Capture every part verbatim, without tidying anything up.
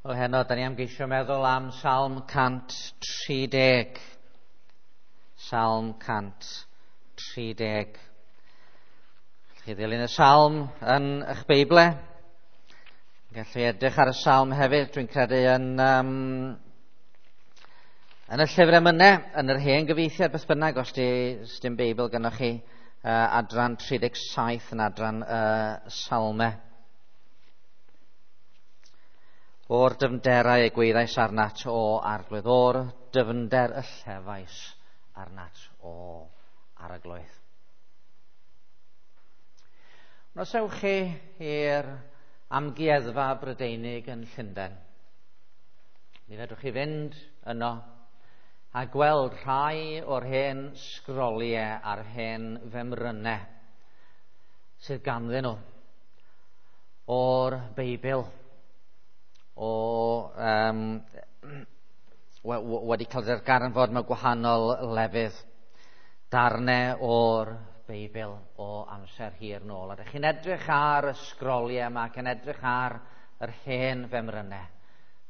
Wel heno, da ni am geisio meddwl am Salm cant tri deg. Salm cant tri deg. Chi ddilyn y salm yn eich Beible. Gallu edrych ar y salm hefyd, dwi'n credu yn, um, yn y llyfr emynau, yn yr hen gyfieithiad beth bynnag, os di, os dim Beibl gynnwch chi, uh, adran tri deg saith yn adran uh, salmau. O'r dyfnderau y gwyddais arnat o Arglwydd, o'r dyfnder y llefais arnat o Arglwydd. Os ewch chi i'r Amgueddfa Brydeinig yn Llundain, mi fedrwch chi fynd yno a gweld rhai o'r hen sgroliau a'r hen femrynau sydd ganddyn nhw o'r Beibl, o um, wedi cael darganfod mewn gwahanol lefydd, darnau o'r Beibl o amser hir nôl. A ydych chi'n edrych ar y sgroliau yma ac yn edrych ar yr hen femrynau,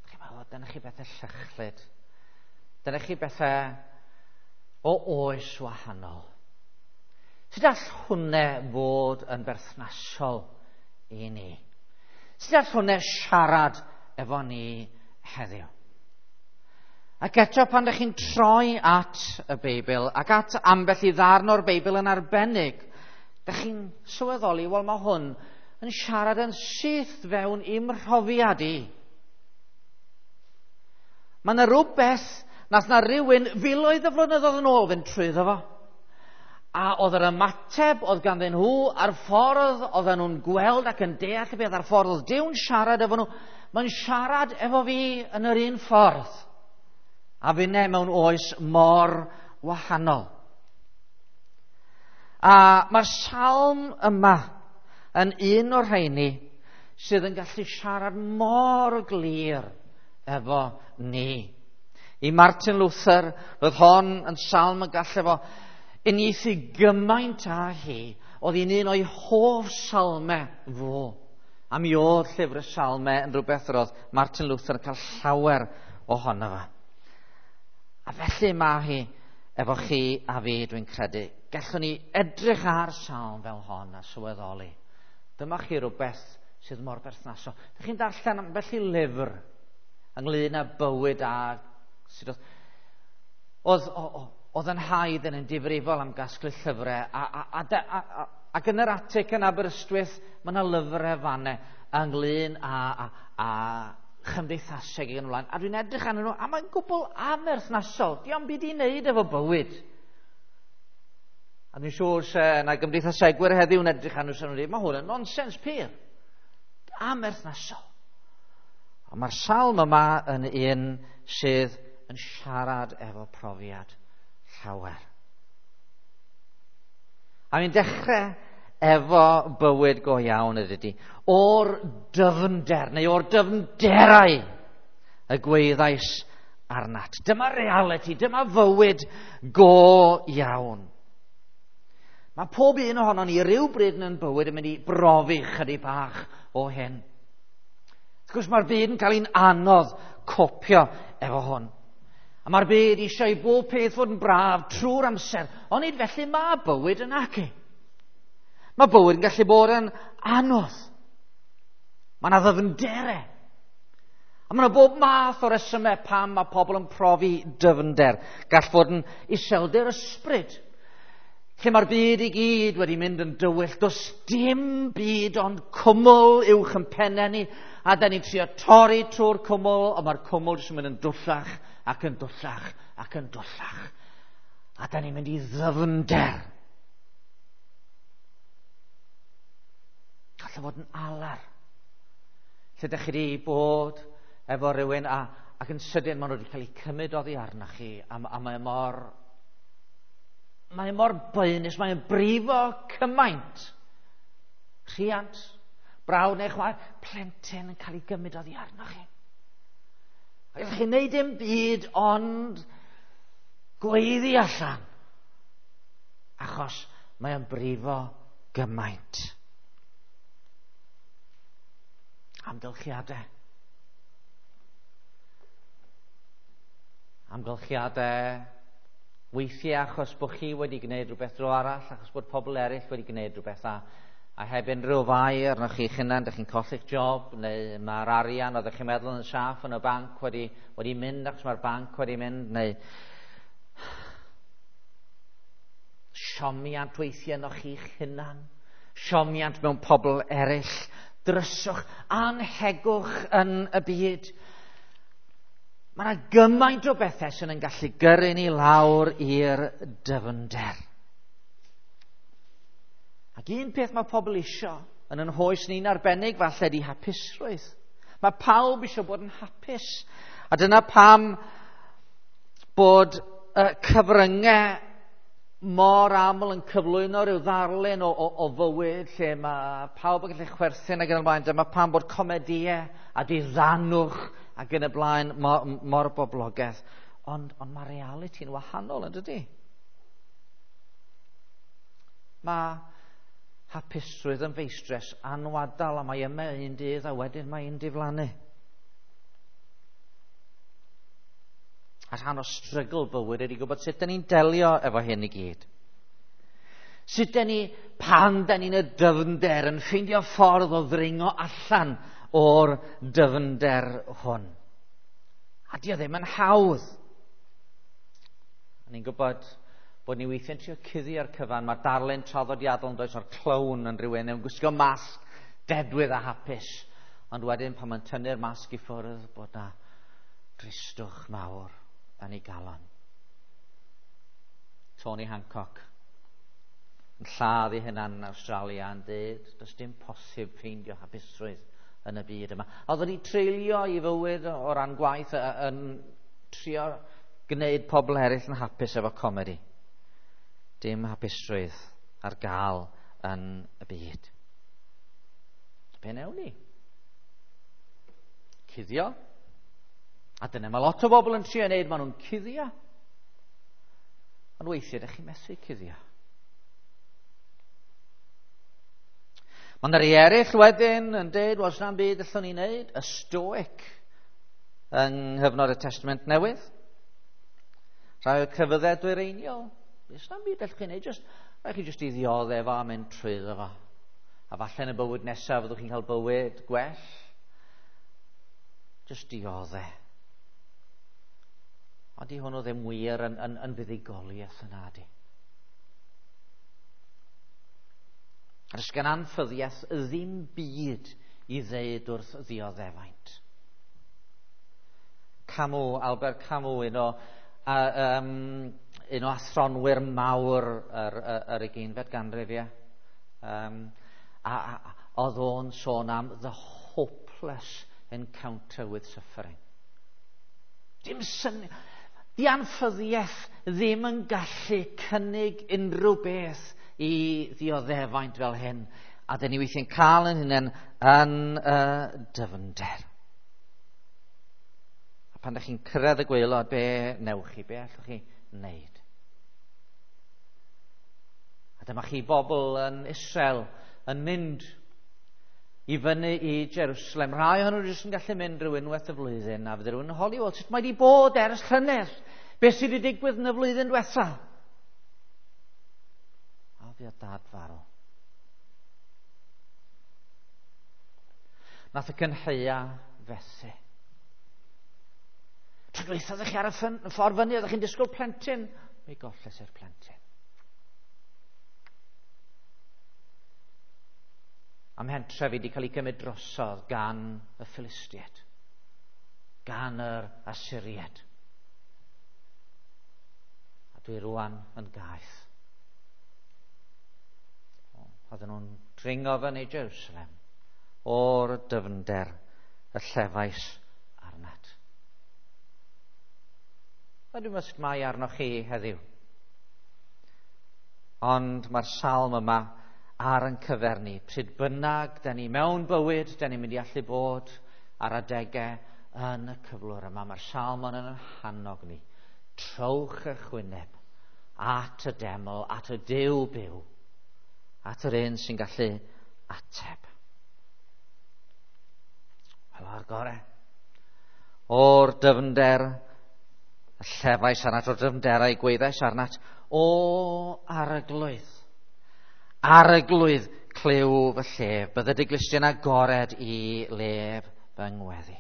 chi'n meddwl, dyna chi bethau llychlyd, dyna chi bethau o oes wahanol. Sut all hwnna fod yn berthnasol i ni? Sut all hwnna siarad efo ni heddiw? Ac eto pan ydych chi'n troi at y Beibl ac at ambell i ddarn o'r Beibl yn arbennig, ydych chi'n sylweddoli, wel mae hwn yn siarad yn syth fewn i'm mhrofiad i. Mae yna rhywbeth nath na rhywun filoedd o flynyddoedd yn ôl fynd trwyddo fo. A oedd yr ymateb oedd ganddyn nhw a'r ffordd oedden nhw'n gweld ac yn deall y beth a'r ffordd oedd Duw'n siarad efo nhw, mae'n siarad efo fi yn yr un ffordd. A finne mewn oes mor wahanol. A mae'r salm yma yn un o'r rheini sydd yn gallu siarad mor glir efo ni. I Martin Luther, roedd hon yn salm y gallu fo uniaethu gymaint â hi, oedd hi'n un o'i hoff salmau fo. A mi oedd llyfr y salmau yn rhywbeth roedd Martin Luther yn cael llawer ohono fo. A felly mae hi efo chi a fi, dwi'n credu. Gallwn ni edrych ar salm fel hon a sylweddoli. Dyma chi rhywbeth sydd mor berthnasol. Dych chi'n darllen ambell i lyfr ynglyn â bywyd a sydd oedd, oedd, oedd yn haid yn difrifol am gasglu llyfrau. A, a, a, a, a, ac yn yr atig yn Aberystwyth, mae yna lyfrau fanne ynglyn â, a, a chymdeithaseg ac yn ymlaen. A dwi'n edrych arnyn nhw, a mae'n gwbl amherthnasol. Dio'm byd i wneud efo bywyd. A dwi'n siŵr se na gymdeithasegwyr heddiw yn edrych arnyn nhw, sy'n dweud, mae hwn yn nonsens pur. Amherthnasol. Ond mae'r salm yma yn un sydd yn siarad efo profiad llawer. A mi'n dechrau efo bywyd go iawn ydy, o'r dyfnder, neu o'r dyfnderau y gwyddais arnat. Dyma reality, dyma fywyd go iawn. Mae pob un ohonon ni rywbryd yn bywyd yn mynd i brofi chydig bach o hyn. Wrth gwrs mae'r byd yn cael ein anodd copio efo hwn. A mae'r byd eisiau i bob peth fod yn braf trwy'r amser, ond nid felly mae bywyd yn acu. Mae bywyd yn gallu bod yn anodd. Mae yna ddyfnderau. A mae yna bob math o resymau pam mae pobl yn profi dyfnder. Gall fod yn iselder ysbryd, lle mae'r byd i gyd wedi mynd yn dywyll. Does dim byd ond cwmwl uwch yn pennau ni, a da ni'n trio torri trwy'r cwmwl, ond mae'r cwmwl jyst yn mynd yn dwllach ac yn dwllach ac yn dwllach. A da ni'n mynd i ddyfnder. Gall fod yn alar. Lle ydych chi wedi bod efo rhywun a, ac yn sydyn maen nhw wedi cael eu cymryd oddi arnoch chi a, a mae mor mae mor boenus, mae'n brifo cymaint. Rhiant, brawd neu chwaer, plentyn yn cael ei gymryd oddi arnoch chi. A gallwch chi wneud dim byd ond gweiddi allan, achos mae'n brifo gymaint. Amgylchiadau. Amgylchiadau, weithiau achos bod chi wedi gwneud rhywbeth dro arall, achos bod pobl eraill wedi gwneud rhywbeth a, a heb unrhyw fai arnoch chi'ch hunan, dych chi'n colli'ch job, neu mae'r arian oeddech chi'n meddwl yn saff yn y banc wedi, wedi mynd achos mae'r banc wedi mynd, neu siomiant weithiau arnoch chi'ch hunan, siomiant mewn pobl eraill, dryswch, anhegwch yn y byd. Mae yna gymaint o bethau sy'n yn gallu gyrru ni lawr i'r dyfnder. Ac un peth mae pobl isio yn yn hoes ni'n arbennig falle di hapusrwydd. Mae pawb isio bod yn hapus. A dyna pam bod y cyfryngau mor aml yn cyflwyno rhyw ddarlun o, o, o fywyd lle mae pawb yn gallu chwerthin ac yn y blaen. Dyma pam bod comedïau a diddanwch ac yn y blaen mor, mor boblogaidd. Ond, ond mae realiti'n wahanol, yn dydy? Mae hapusrwydd yn feistres anwadal a mae yma un dydd a wedyn mae'n diflannu. A rhan o strygl bywyd ydy gwybod sut dyn ni'n delio efo hyn i gyd. Sut dyn ni, pan dyn ni'n y dyfnder, yn ffeindio ffordd o ddringo allan o'r dyfnder hwn. A di o ddim yn hawdd. A ni'n gwybod bod ni weithiau'n trio cuddio'r cyfan. Mae'r darlun traddodiadol yn does o'r clown yn rhywun yn gwisgo masg dedwydd a hapus. Ond wedyn pan mae'n tynnu'r masg i ffwrdd bod na dristwch mawr yn ei galon. Tony Hancock yn lladd ei hunan yn Awstralia yn dweud does dim posib ffeindio hapusrwydd yn y byd yma. A oedd wedi treulio ei fywyd o ran gwaith yn trio gwneud pobl eraill yn hapus efo comedi. Dim hapusrwydd ar gael yn y byd. Be newn ni? Cuddio. A dyna mae lot o bobl yn trio wneud, maen nhw'n cuddio. Ond weithiau, ydych chi'n methu cuddio. Mae yna rhai eraill wedyn yn dweud, was na'n byd allwn ni wneud, y Stoic yng nghyfnod y Testament Newydd. Rhai o'r crefyddau dwyreiniol, does na'm byd allwch chi wneud, just, rhaid chi just i ddioddef a mynd trwyddo fo. A falle yn y bywyd nesaf fyddwch chi'n cael bywyd gwell. Just dioddef. Ond di hwnnw ddim wir yn, yn, yn fuddugoliaeth yna, di. A does gan anffyddiaeth ddim byd i ddeud wrth ddioddefaint. Camus, Albert Camus, un o, a, um, un o athronwyr mawr yr, yr, yr ugeinfed ganrif, ie. Um, a, a, oedd o'n sôn am the hopeless encounter with suffering. Dim syniad. Di anffyddiaeth ddim yn gallu cynnig unrhyw beth i ddioddefaint fel hyn. A dyn ni weithiau'n cael yn hunain yn y dyfnder. A pan ydych chi'n cyrraedd y gwaelod, be newch chi? Be allwch chi wneud? A dyma chi bobl yn Israel yn mynd i fyny i Jerusalem. Rhai ohonyn nhw jyst yn gallu mynd rhyw unwaith y flwyddyn, a fydde rhywun yn holi, wel, sut mae wedi bod ers llynedd? Beth sydd wedi digwydd yn y flwyddyn diwetha? A fi o dad farw. Nath y cynheia fethu. Tro dwytha ddech chi ar y ffordd fyny, oeddech chi'n disgwyl plentyn. Mi golles i'r plentyn. Am mhentref wedi cael ei gymryd drosodd gan y Philistiaid, gan yr Asyriaid. A dwi rwan yn gaeth. Oedden nhw'n dringo fyny Jerusalem o'r dyfnder y llefais arnat. A dwi'n meddwl sut mae arnoch chi heddiw. Ond mae'r salm yma ar yn cyfer ni. Pryd bynnag, da ni mewn bywyd, da ni'n mynd i allu bod ar adegau yn y cyflwr yma. Mae'r salm yn yn hannog ni. Trowch eich wyneb at y deml, at y Duw byw, at yr un sy'n gallu ateb. Wel, o'r gore. O'r dyfnder y Llefais arnat o'r dyfnderau, gweddais arnat, o Arglwydd. Arglwydd, clyw fy llef, bydde dy glustiau'n agored i lef fy ngweddi.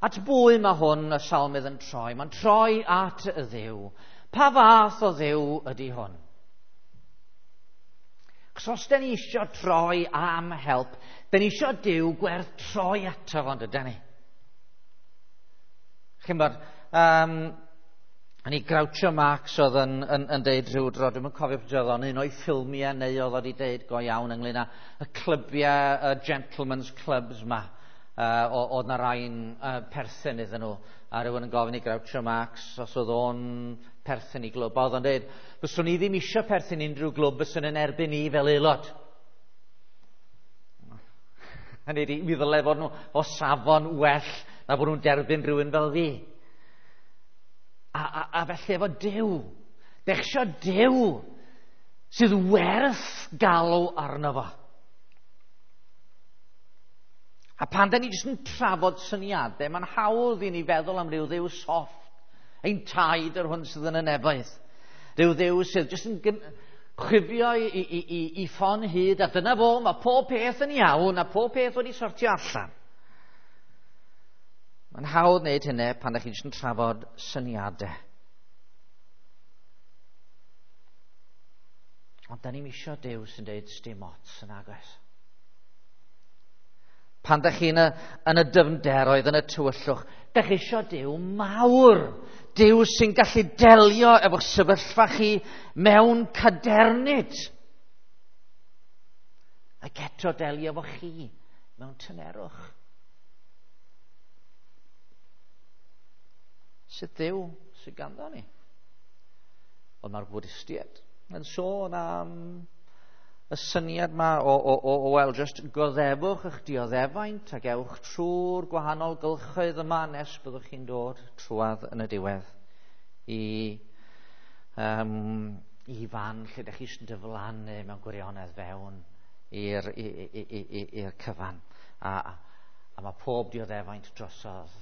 At bwy mae hwn y salmydd yn troi? Mae'n troi at y Dduw. Pa fath o Dduw ydy hwn? Chos os da ni isio troi am help, da ni isio Duw gwerth troi ato fo, yndydan ni? Chi'n bod, um, ni Groucho Marx oedd yn, yn, yn deud rhyw dro, dwi'm yn cofio pryd oedd o'n un o'i ffilmiau neu oedd wedi deud go iawn ynglyn â y clybiau, y gentlemen's clubs ma. Uh, oedd na rai'n uh, perthyn iddyn nhw, a rhywun yn gofyn i Groucho Marx os oedd o'n perthyn i glwb. Oedd o'n deud, fyswn i ddim eisiau perthyn unrhyw glwb, fyswn yn erbyn i fel aelod. Hynny ydi, mi ddyle fod nhw o safon well na bod nhw'n derbyn rhywun fel fi. A, a, a felly efo Duw, dech isio Duw sydd werth galw arno fo. A pan da ni jyst yn trafod syniadau, mae'n hawdd i ni feddwl am ryw dduw soft, ein taid yr hwn sydd yn y nefoedd. Rhyw dduw sydd jyst yn chwifio i, i, i, i ffon hyd, a dyna fo, mae pob peth yn iawn, a pob peth wedi sortio allan. Mae'n hawdd wneud hynny pan ydych chi jyst yn trafod syniadau. Ond da ni'n isio Duw sy'n deud sdim ots yn agos. Pan ydych chi'n y, yn y dyfnderoedd, yn y tywyllwch, dych chi isio Duw mawr. Duw sy'n gallu delio efo'ch sefyllfa chi mewn cadernid. Ac eto delio efo chi mewn tynerwch. Sut Dduw sydd ganddo ni? Ond mae'r Bwdistiaid yn sôn am y syniad ma o, o, o, o wel, just goddefwch eich dioddefaint ac ewch trwy'r gwahanol gylchoedd yma nes byddwch chi'n dod trwadd yn y diwedd i, um, i fan lle ydych chi eisiau diflannu mewn gwirionedd fewn i'r, i'r cyfan. A, a, a mae pob dioddefaint drosodd.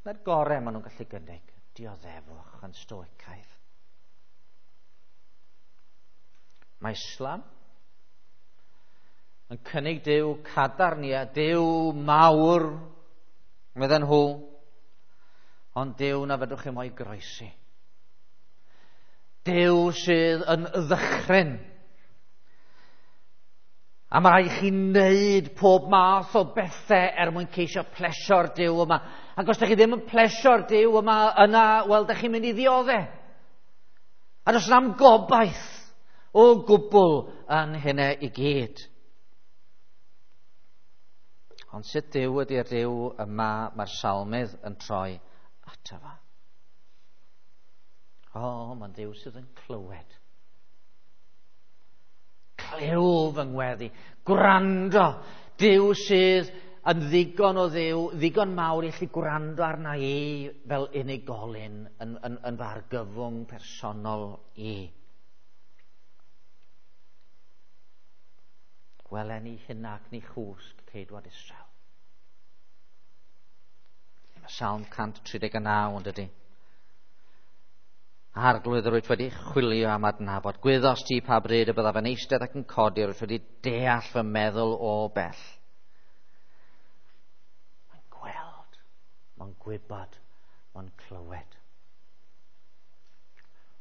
Na'r gorau maen nhw'n gallu gynnig, dioddefwch yn stoicaidd. Mae Islam yn cynnig Duw cadarn, ia, Duw mawr, medden nhw, ond Duw na fedrwch chi mo'i groesi. Duw sydd yn ddychryn. A mae rhaid chi wneud pob math o bethau er mwyn ceisio plesio'r Duw yma. Ac os ydych chi ddim yn plesio'r Duw yma, yna, wel, ydych chi'n mynd i ddiodde. A does na'm gobaith o gwbl yn hynny i gyd. Ond sut Duw ydy'r Duw yma mae'r salmydd yn troi ato fo? O, mae'n Dduw sydd yn clywed. Clyw fy ngweddi, gwrando. Duw sydd yn ddigon o Dduw, ddigon mawr i allu gwrando arna i fel unigolyn yn, yn, yn fy argyfwng personol i. Welen ni hynna ac ni chwsg ceidwad Israel. Mae Salm cant tri deg naw yn dydy. Arglwydd, yr wyt wedi chwilio am adnabod. Gwyddost ti pa bryd y byddaf yn eistedd ac yn codi, yr wyt wedi deall fy meddwl o bell. Mae'n gweld, mae'n gwybod, mae'n clywed.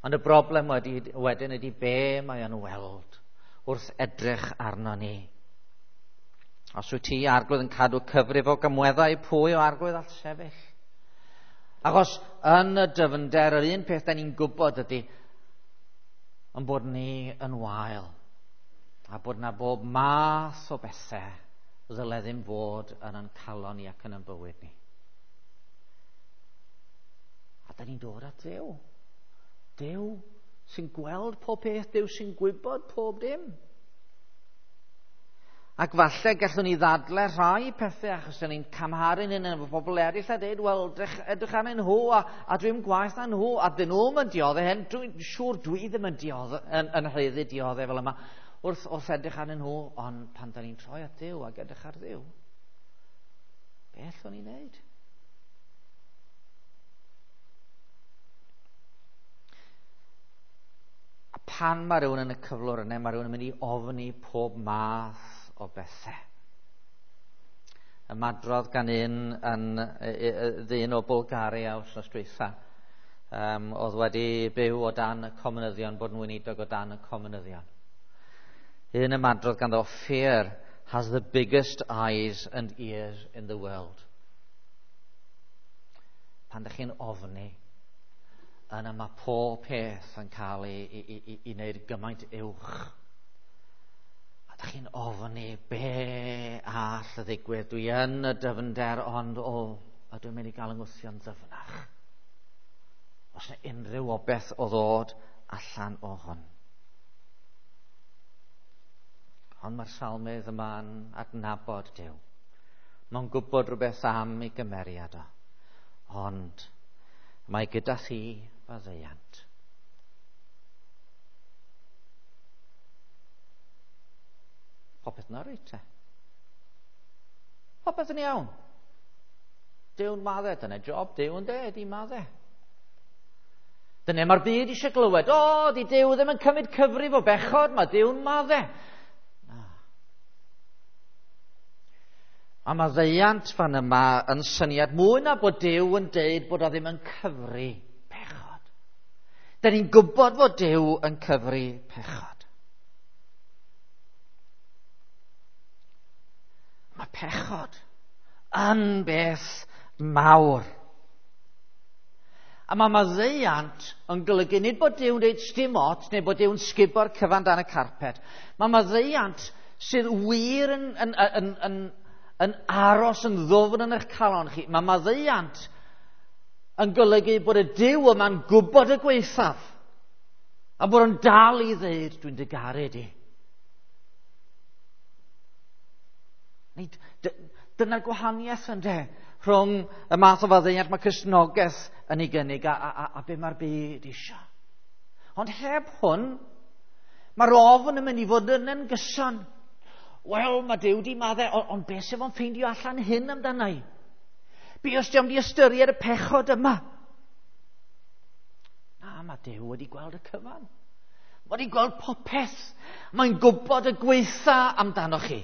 Ond y broblem wedi, wedyn ydy be mae o'n weld wrth edrych arno ni. Os wyt ti, Arglwydd, yn cadw cyfrif o gymweddau, pwy o Arglwydd all sefyll? Achos yn y dyfnder, yr un peth da ni'n gwybod ydy yn bod ni yn wael a bod na bob math o bethau ddyle ddim fod yn ein calon ni ac yn ein bywyd ni. A da ni'n dod at Dduw. Duw sy'n gweld pob peth, Duw sy'n gwybod pob dim. Ac falle gallwn ni ddadle rhai pethau achos dyn ni'n camharu'n hyn efo pobl eraill a dweud, wel, edrych, edrych arnyn nhw a, a dwi'n gwaeth na nhw a dyn nhw'm yn dioddef hyn, dwi'n siŵr dwi ddim yn dioddef, yn, yn haeddu dioddef fel yma wrth, wrth edrych arnyn nhw, ond pan dyn ni'n troi at Dduw ac edrych ar Dduw, be allwn ni wneud? pan mae rhywun yn y cyflwr yna, mae rhywun yn mynd i ofni pob math o bethau. Ymadrodd gan un yn, ddyn o Bulgaria wythnos dwytha, um, oedd wedi byw o dan y comunyddion, bod yn weinidog o dan y comunyddion. Un ymadrodd ganddo, "Fear has the biggest eyes and ears in the world." Pan ydych chi'n ofni, yna mae pob peth yn cael ei, ei, ei, ei wneud gymaint uwch. A ydych chi'n ofni be all y ddigwydd. Dwi yn y dyfnder, ond o, a dwi'n mynd i gael yng ngwthio'n ddyfnach. Os yna unrhyw obeth o ddod allan o hwn. Ond mae'r salmydd yma'n adnabod Duw. Mae'n gwybod rhywbeth am ei gymeriad o. Ond mae gyda thi faddeuant. Popeth yn reit te. Popeth yn iawn. Duw'n madde, dyna job Duw yn de, di madde. Dyna mae'r byd eisiau glywed. O, di Duw ddim yn cymryd cyfrif o bechod, mae Duw'n madde. Na. A maddeuant fan yma yn syniad mwy na bod Duw yn deud bod o ddim yn cyfri pechod. Da ni'n gwybod fod Duw yn cyfri pechod. Mae pechod yn beth mawr. A mae maddeuant yn golygu nid bod Duw'n dweud sdim ots neu bod Duw'n sgubo'r cyfan dan y carpet. Mae maddeuant sydd wir yn, yn, yn, yn, yn aros yn ddwfn yn eich calon chi. Mae maddeuant yn golygu bod y Duw yma'n gwybod y gwaethaf a bod o'n dal i ddeud, dwi'n dy garu di. Nid, dyna'r gwahaniaeth ynde rhwng y math o faddeuant mae Cristnogaeth yn ei gynnig a, a, a, a be mae'r byd eisiau. Ond heb hwn, mae'r ofn yn mynd i fod yn yn gyson. Wel, mae Duw di maddau, ond on beth sef o'n ffeindio allan hyn amdana i? Be os di am di ystyried y pechod yma? Na, mae Duw wedi gweld y cyfan. Mae wedi gweld popeth. Mae'n gwybod y gweitha amdano chi.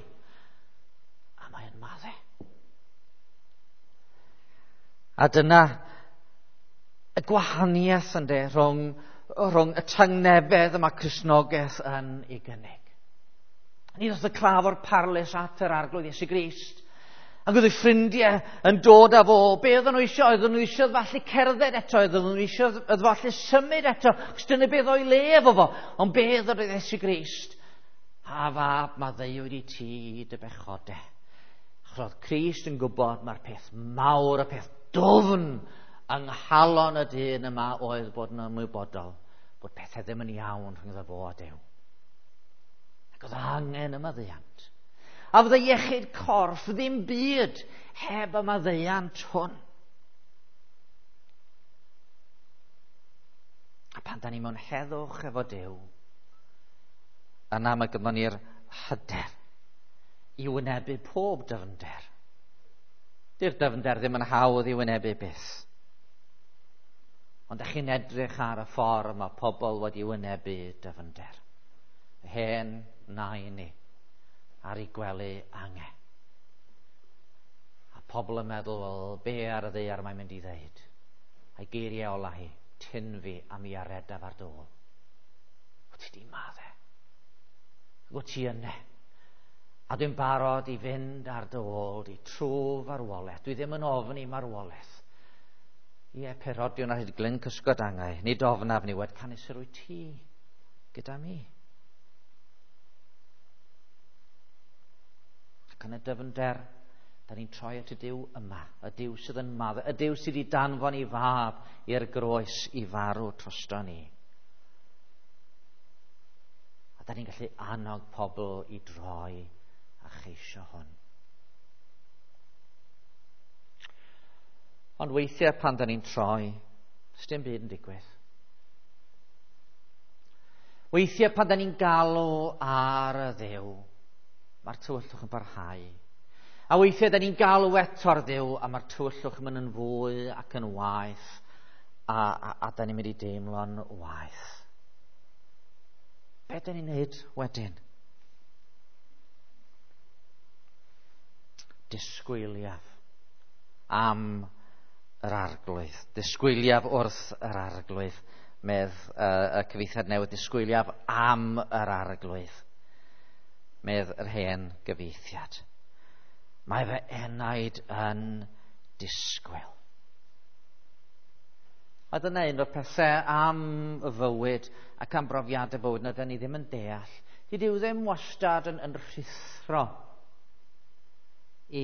A mae'n maddau. A dyna y gwahaniaeth ynde rhwng, rhwng y tangnefedd yma Cristnogaeth yn ei gynnig. Ni ddoth y claf o'r parlys at yr Arglwydd Iesu Grist. Ac oedd ei ffrindiau yn dod â fo. Be oedden nhw eisiau? Oedden nhw eisiau falle cerdded eto. Oedden nhw eisiau falle symud eto. Cos dyna beth o'i le efo fo. Ond be oedd Iesu Grist? A fab, maddeuwyd i ti dy bechodau. Achos oedd Crist yn gwybod mae'r peth mawr, y peth dwfn yng nghalon y dyn yma oedd bod yn ymwybodol bod pethau ddim yn iawn rhyngddo fo a Duw. Ac oedd angen y maddeuant. A fydde iechyd corff ddim byd heb y maddeuant hwn. A pan da ni mewn heddwch efo Duw, yna mae gynnon ni'r hyder i wynebu pob dyfnder. Di'r dyfnder ddim yn hawdd i wynebu byth. Ond ydych chi'n edrych ar y ffordd mae pobl wedi wynebu dyfnder. Hen nain ni ar ei gwely ange. A pobl yn meddwl, wel, be ar y ddaear mae'n mynd i ddeud? A'i geiriau ola hi, tyn fi a mi aredaf ar dôl. Wyt ti di madde? Wyt ti yne? A dwi'n barod i fynd ar dy ôl di trwy farwolaeth. Dwi ddim yn ofni marwolaeth. Ie, perodion ar hyd glyn cysgod angau. Nid ofnaf niwed, canys yr wyt ti gyda mi. Ac yn y dyfnder, da ni'n troi at y Duw yma, y Duw sydd yn maddau, y Duw sydd wedi danfon i fab i'r groes i farw drosto ni. A da ni'n gallu annog pobl i droi a cheisio hwn. Ond weithiau pan da ni'n troi, sdim byd yn digwydd. Weithiau pan da ni'n galw ar y Dduw, mae'r tywyllwch yn barhau. A weithiau da ni'n galw eto ar Dduw, a mae'r tywyllwch yn mynd yn fwy ac yn waeth, a, a, a da ni'n mynd i deimlo'n waeth. Be dyn ni'n neud wedyn? Disgwyliaf am yr Arglwydd. Disgwyliaf wrth yr Arglwydd, medd uh, y cyfieithiad newydd. Disgwyliaf am yr Arglwydd, medd yr hen gyfieithiad. Mae fy enaid yn disgwyl. A dyna un o'r pethau am y fywyd ac am brofiadau bywyd na dyn ni ddim yn deall. Dydy Duw ddim wastad yn, yn rhuthro i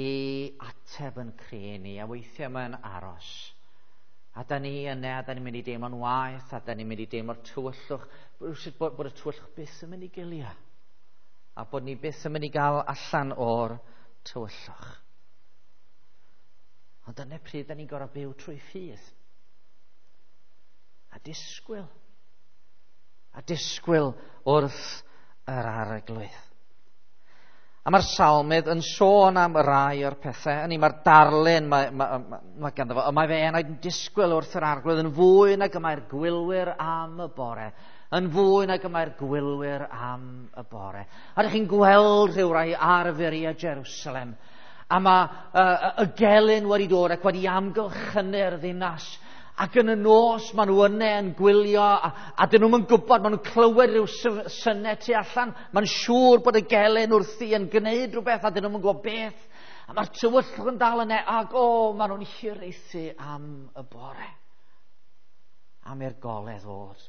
ateb yn cri ni, a weithiau mae'n aros. A da ni yna, a da ni'n mynd i deimlo'n waeth, a da ni'n mynd i deimlo'r tywyllwch, bod, bod y tywyllwch byth yn mynd i gilio, a bod ni byth yn mynd i gael allan o'r tywyllwch. Ond dyna pryd da ni'n gorfod byw trwy ffydd. A disgwyl. A disgwyl wrth yr Arglwydd. A mae'r salmydd yn sôn am rai o'r pethau. Hynny, mae'r darlun mae, mae, mae, mae ganddo fo. Mae fe enaid yn disgwyl wrth yr Arglwydd yn fwy nag y mae'r gwylwyr am y bore. Yn fwy nag y mae'r gwylwyr am y bore. A ydych chi'n gweld rhyw rai ar furiau Jerusalem. A mae uh, y gelyn wedi dod ac wedi amgylchynu'r ddinas. Ac yn y nos maen nhw yna yn gwylio a, a dyn nhw'n gwybod, maen nhw'n clywed rhyw synnau tu allan. Mae'n siŵr bod y gelyn wrthi yn gwneud rhywbeth a dyn nhw'n gwybod beth. A mae'r tywyllwch yn dal yna ac o, maen nhw'n hiraethu am y bore. Am i'r golau ddod.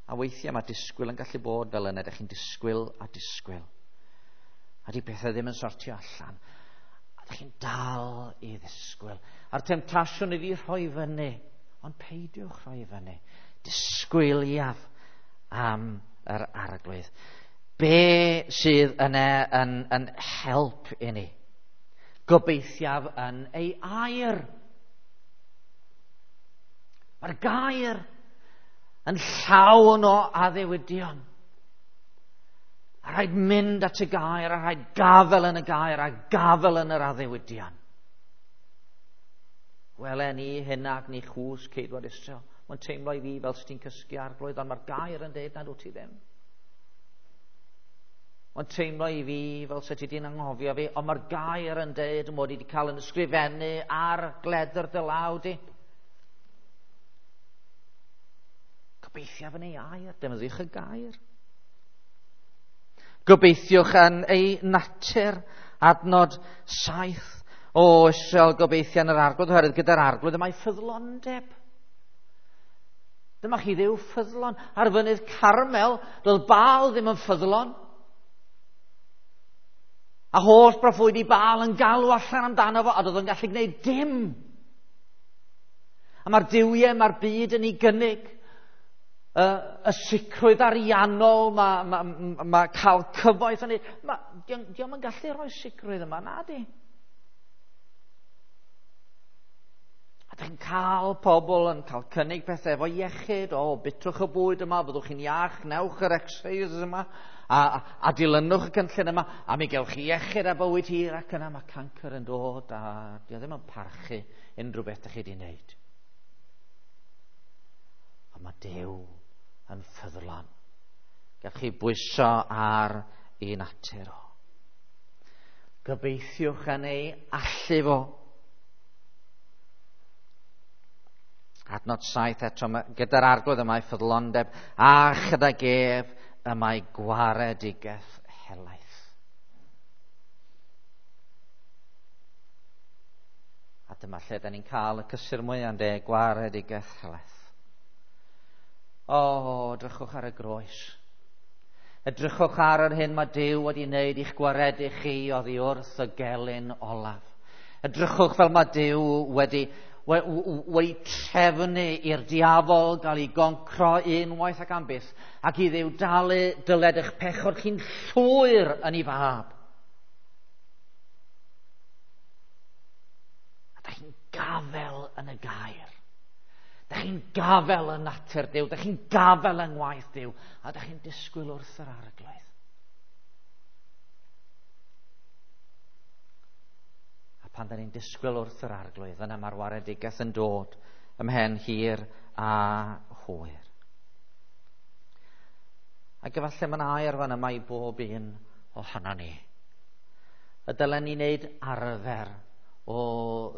A weithiau mae disgwyl yn gallu bod fel yna. Dych chi'n disgwyl a disgwyl. A di pethau ddim yn sortio allan. A chi'n dal i ddisgwyl. A'r temtasiwn i fi rhoi fyny, ond peidiwch rhoi fyny. Disgwyliaf am yr Arglwydd. Be sydd yna yn, yn help i ni? Gobeithiaf yn ei air. Mae'r gair yn llawn o addewidion. A rhaid mynd at y gair, a rhaid gafel yn y gair, a gafel yn yr addewidion. Wele ni hyn ac ni chwys ceidwad Israel. Mae'n teimlo i fi fel sy'n ti'n cysgu Arglwydd, ond mae'r gair yn deud nad wyt ti ddim. Mae'n teimlo i fi fel sy'n ti di'n anghofio fi, ond mae'r gair yn deud mod i wedi cael yn ysgrifennu ar gledr dy law di. Gobeithiaf yn ei air, defnyddiwch y gair. Gobeithiwch yn ei natur, adnod saith. O Israel, gobeithio yn yr Arglwydd, oherwydd gyda'r Arglwydd y mae ffyddlondeb. Dyma chi Dduw ffyddlon. Ar fynydd Carmel, doedd Baal ddim yn ffyddlon. A holl broffwydi Baal yn galw allan amdano fo, a doedd o'n gallu gwneud dim. A mae'r duwiau, mae'r byd yn ei gynnig. Y, y sicrwydd ariannol, mae ma, ma, ma cael cyfoeth yn ei... Dio'm yn gallu rhoi sicrwydd yma, na di. A dych chi'n cael pobl yn cael cynnig pethau efo iechyd, o, bitwch y bwyd yma, fyddwch chi'n iach, newch yr exercise yma, a, a, a dilynwch y cynllun yma, a mi gewch chi iechyd a bywyd hir, ac yna mae cancr yn dod, a dio ddim yn parchu unrhyw beth ydych chi wedi wneud. Ond mae Duw yn ffyddlon. Gallwch chi bwyso ar ei natur o. Gobeithiwch yn ei allu fo. Adnod saith eto, gyda'r Arglwydd y mae ffyddlondeb, a chydag ef y mae gwaredigaeth helaeth. A dyma lle da ni'n cael y cysur mwyaf, ynde, gwaredigaeth helaeth. O, edrychwch ar y groes. Edrychwch ar yr hyn mae Duw wedi wneud i'ch gwaredu chi oddi wrth y gelyn olaf. Edrychwch fel mae Duw wedi, wedi trefnu i'r diafol gael ei goncro unwaith ac am byth, ac i Dduw dalu dyled eich pechod chi'n llwyr yn ei fab. A da chi'n gafel yn y gair. Da chi'n gafel yn natur Duw, da chi'n gafel yng ngwaith Duw, a da chi'n disgwyl wrth yr Arglwydd. A pan da ni'n disgwyl wrth yr Arglwydd, yna mae'r waredigaeth yn dod ymhen hir a hwyr. Ac efallai mae'n air fan yma i bob un ohono ni. Y dylen ni wneud arfer o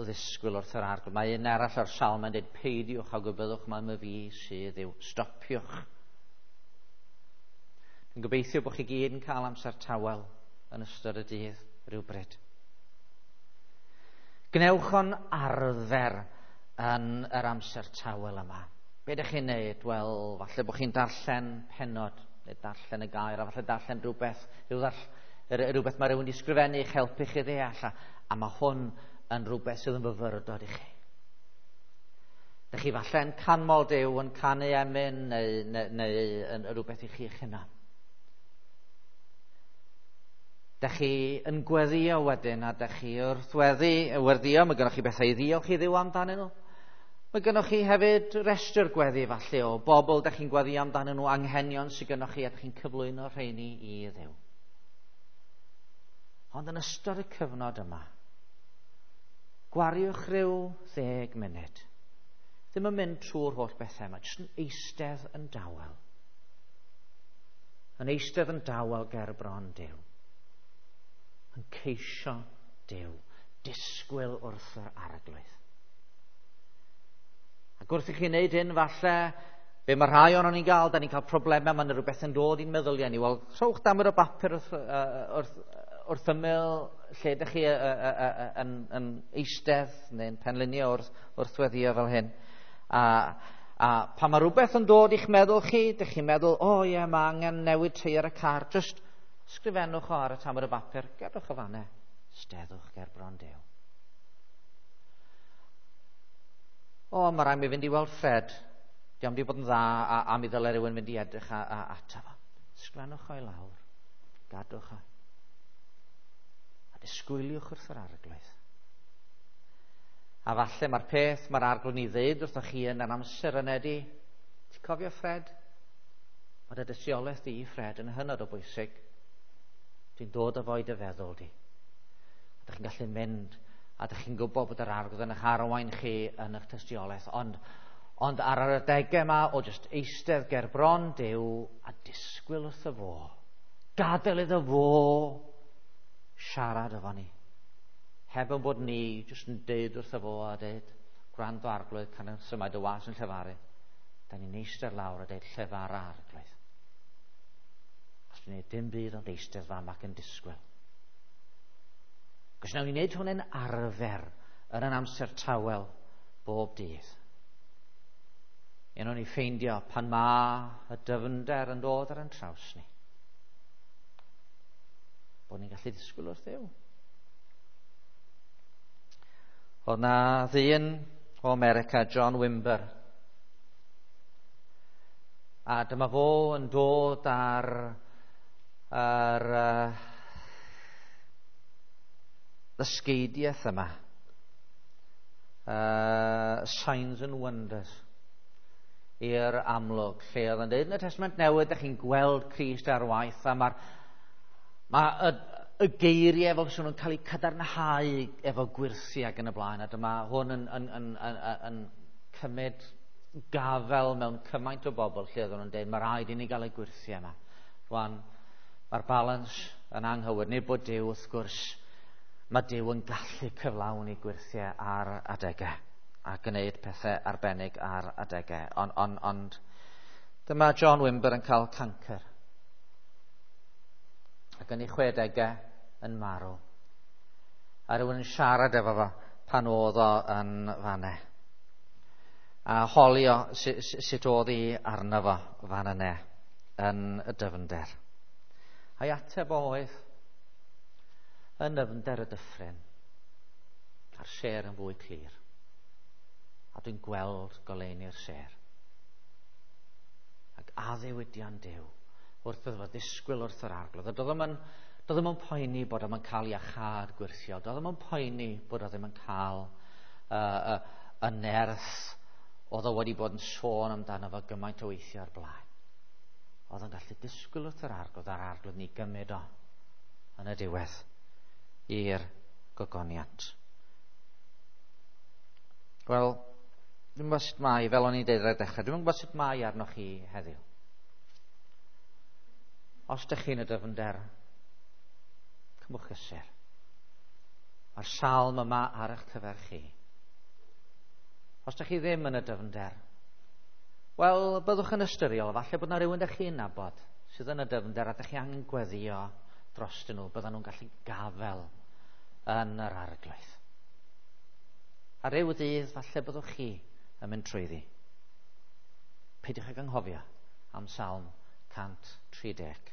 ddisgwyl wrth yr Arglwydd. Mae un arall o'r salm yn dweud, peidiwch a gwybyddwch mai my fi sydd yw. Stopiwch. Dwi'n gobeithio bod chi gyd yn cael amser tawel yn ystod y dydd rhywbryd. Gwnewch o'n arfer yn yr amser tawel yma. Be ydych chi'n neud? Wel, falle bod chi'n darllen pennod, neu darllen y gair, a falle darllen rhywbeth, rhywbeth mae rhywun wedi sgrifennu i'ch helpu chi ddeall, a, a mae hwn yn rhywbeth sydd yn fyfyrdod i chi. Dych chi falle yn canmol Duw, yn canu emyn, neu, neu, neu yn rhywbeth i chi eich hunan. Dych chi yn gweddio wedyn, a dych chi wrth weddi, weddio, mae gennych chi bethau i ddiolch i Dduw amdanyn nhw. Mae gennych chi hefyd restr gweddi falle o bobl dych chi'n gweddio amdanyn nhw, anghenion sydd gennych chi, a dych chi'n cyflwyno rheini i Dduw. Ond yn ystod y cyfnod yma, gwariwch rhyw ddeg munud. Ddim yn mynd trwy'r holl bethau yma, jyst yn eistedd yn dawel. Yn eistedd yn dawel ger bron Duw. Yn ceisio Duw, disgwyl wrth yr Arglwydd. Ac wrth i chi wneud hyn, falle, be mae rhai ohonon ni'n gael, da ni'n cael problemau, mae yna rhywbeth yn dod i'n meddyliau ni. Wel, rhowch damed o bapur wrth, wrth, wrth ymyl lle ydych chi yn, yn eistedd neu'n penlinio wrth, wrth weddio fel hyn. A, a pan mae rhywbeth yn dod i'ch meddwl chi, ydych chi'n meddwl, o oh, ie, yeah, mae angen newid teiar y car, just sgrifennwch o ar y tamed o bapur, gadwch o fanne, steddwch ger bron Duw. O, mae rhaid mi fynd i weld Fred. Di am di bod yn dda, a, a mi ddylai rhywun fynd i edrych a, a, ato fo. Sgrifennwch o'i lawr, gadwch o. A disgwyliwch wrth yr Arglwydd. A falle mae'r peth mae'r Arglwydd ni ddeud wrthoch chi yn yr amser yna ydi, ti'n cofio Fred? Mae dy dystiolaeth di, Fred, yn hynod o bwysig. Ti'n dod o fo i dy feddwl di. A dych chi'n gallu mynd, a dych chi'n gwybod bod yr Arglwydd yn eich arwain chi yn eich tystiolaeth. Ond, ond ar yr adegau yma o jyst eistedd ger bron Duw a disgwyl wrtho fo. Gadael iddo fo siarad efo ni. Heb yn bod ni jyst yn deud wrtho fo a deud, gwrando Arglwydd, can symud y was yn llefaru. Da ni'n eistedd lawr a deud llefara Arglwydd. Os dwi'n gwneud dim byd ond eistedd fam ac yn disgwyl. Cos nawn ni wneud hwn yn arfer yn yn amser tawel bob dydd. Un o'n i ffeindio pan ma y dyfnder yn dod ar yn traws ni, bod ni'n gallu disgwyl wrth Dduw. Oedd na ddyn o America, John Wimber, a dyma fo yn dod ar ar uh, ddysgeidiaeth yma, uh, Signs and Wonders, i'r amlwg, lle oedd yn dweud yn y Testament Newydd, ydych chi'n gweld Crist ar waith, a mae'r ma y, y geiriau fel sy'n nhw'n cael eu cadarnhau efo gwyrthiau ac yn y blaen, a dyma hwn yn, yn, yn, yn, yn cymryd gafel mewn cymaint o bobl lle oedden nhw'n dweud, mae rhaid i ni gael y gwyrthiau yma. Rwan, mae'r balans yn anghywir, nid bod Duw wrth gwrs, mae Duw yn gallu cyflawni gwyrthiau ar adegau a gwneud pethau arbennig ar adegau. Ond on, ond dyma John Wimber yn cael cancer. Ac yn ei chwedegau yn marw. A rhywun yn siarad efo fo pan oedd o yn fanne. A holi o sut oedd hi arno fo fan yna yn y dyfnder. A'i ateb oedd yn nyfnder y dyffryn, a'r sêr yn fwy clir. A dwi'n gweld goleuni'r sêr. Ac addewidion Duw wrth iddo fo ddisgwyl wrth yr Arglwydd. A doedd o'm yn, doedd o'm yn poeni bod o'm yn cael iachâd gwyrthiol. Doedd o'm yn poeni bod o ddim yn cael uh, uh, y nerth oedd o wedi bod yn sôn amdano fo gymaint o weithiau o'r blaen. Oedd o'n gallu disgwyl wrth yr Arglwydd, a'r Arglwydd ni gymryd o yn y diwedd i'r gogoniant. Wel, dwi'n gwybod sut mae, fel o'n i'n deud ar y dechrau, dwi'n gwybod sut mae arnoch chi heddiw. Os dych chi'n y dyfnder, cymwch gysur. Mae'r salm yma ar eich cyfer chi. Os dych chi ddim yn y dyfnder, wel, byddwch yn ystyriol, falle bod yna rhywun dych chi'n nabod sydd yn y dyfnder a dych chi angen gweddio drostyn nhw, byddan nhw'n gallu gafel yn yr Arglwydd. A ryw ddydd, falle byddwch chi yn mynd trwyddi. Peidiwch ag anghofio am Salm cant tri deg.